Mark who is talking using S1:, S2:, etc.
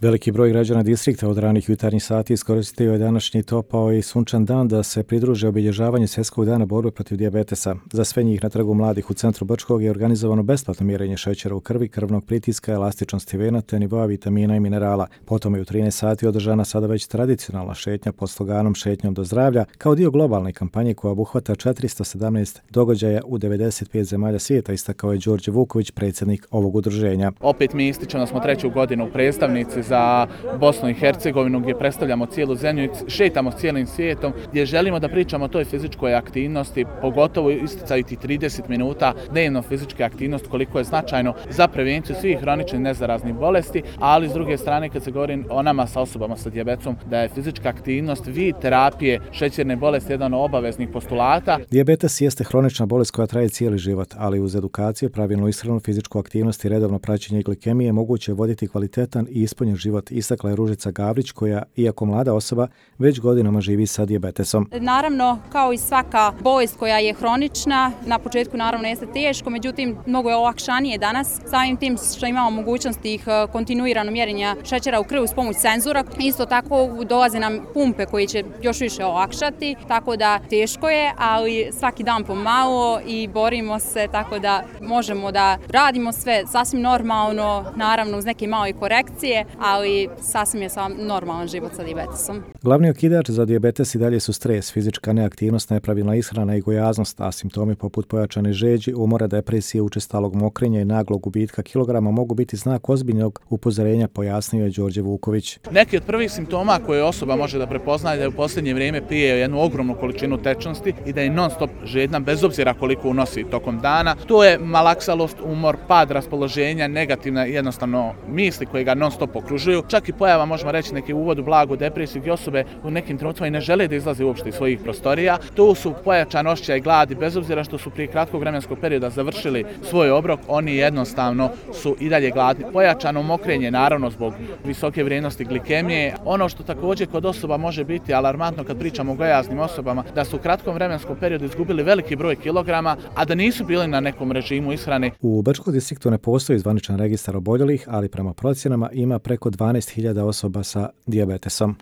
S1: Veliki broj građana distrikta od ranih jutarnjih sati iskoristio je današnji topao i sunčan dan da se pridruže obilježavanju Svjetskog dana borbe protiv dijabetesa. Za sve njih na Trgu mladih u centru Brčkog je organizovano besplatno mjerenje šećera u krvi, krvnog pritiska, elastičnosti vena te nivoa vitamina i minerala. Potom je u 13 sati održana sada već tradicionalna šetnja pod sloganom Šetnjom do zdravlja kao dio globalne kampanje koja obuhvata 417 događaja u 95 zemalja svijeta, istakao je Đorđe Vuković, predsjednik ovog udruženja.
S2: Opet mi ističemo da smo treću godinu predstavnici za Bosnu i Hercegovinu gdje predstavljamo cijelu zemlju i šetamo s cijelim svijetom, gdje želimo da pričamo o toj fizičkoj aktivnosti, pogotovo isticaju tih 30 minuta dnevno fizičke aktivnosti, koliko je značajno za prevenciju svih hroničnih nezaraznih bolesti, ali s druge strane kad se govori o nama sa osobama sa dijabetesom, da je fizička aktivnost vid terapije šećerne bolesti jedan od obaveznih postulata.
S1: Dijabetes jeste hronična bolest koja traje cijeli život, ali uz edukaciju, pravilnu ishranu, fizičku aktivnost i redovno praćenje glikemije moguće je voditi kvalitetan i ispunjen život, istakla je Ružica Gavrić koja, iako mlada osoba, već godinama živi sa dijabetesom.
S3: Naravno, kao i svaka bolest koja je hronična, na početku naravno jeste teško, međutim mnogo je olakšanije danas samim tim što imamo mogućnost ih kontinuirano mjerenja šećera u krvi uz pomoć senzora. Isto tako dolaze nam pumpe koje će još više olakšati, tako da teško je, ali svaki dan pomalo i borimo se tako da možemo da radimo sve sasvim normalno, naravno uz neke male korekcije, ali sasvim je normalan život sa dijabetesom.
S1: Glavni okidač za dijabetes i dalje su stres, fizička neaktivnost, nepravilna ishrana i gojaznost, a simptomi poput pojačane žeđi, umora, depresije, učestalog mokrenja i naglog gubitka kilograma mogu biti znak ozbiljnog upozorenja, pojasnio je Đorđe Vuković.
S2: Neki od prvih simptoma koje osoba može da prepoznaje da je u posljednje vrijeme pije jednu ogromnu količinu tečnosti i da je non stop žedna bez obzira koliko unosi tokom dana. To je malaksalost, umor, pad raspoloženja, negativne jednostavno misli koje ga non stop okružuju. Čak i pojava, možemo reći, neki uvod u blagu depresiju gdje osobe u nekim trenucima i ne žele da izlaze uopšte iz svojih prostorija. To su pojačan osjećaj gladi, bez obzira što su prije kratkog vremenskog perioda završili svoj obrok, oni jednostavno su i dalje gladni. Pojačano mokrenje, naravno zbog visoke vrijednosti glikemije. Ono što također kod osoba može biti alarmantno kad pričamo o gojaznim osobama, da su u kratkom vremenskom periodu izgubili veliki broj kilograma, a da nisu bili na nekom režimu ishrane.
S1: U Brčkom distriktu ne postoji zvaničan registar oboljelih, ali prema procjenama ima preko 12.000 osoba sa dijabetesom.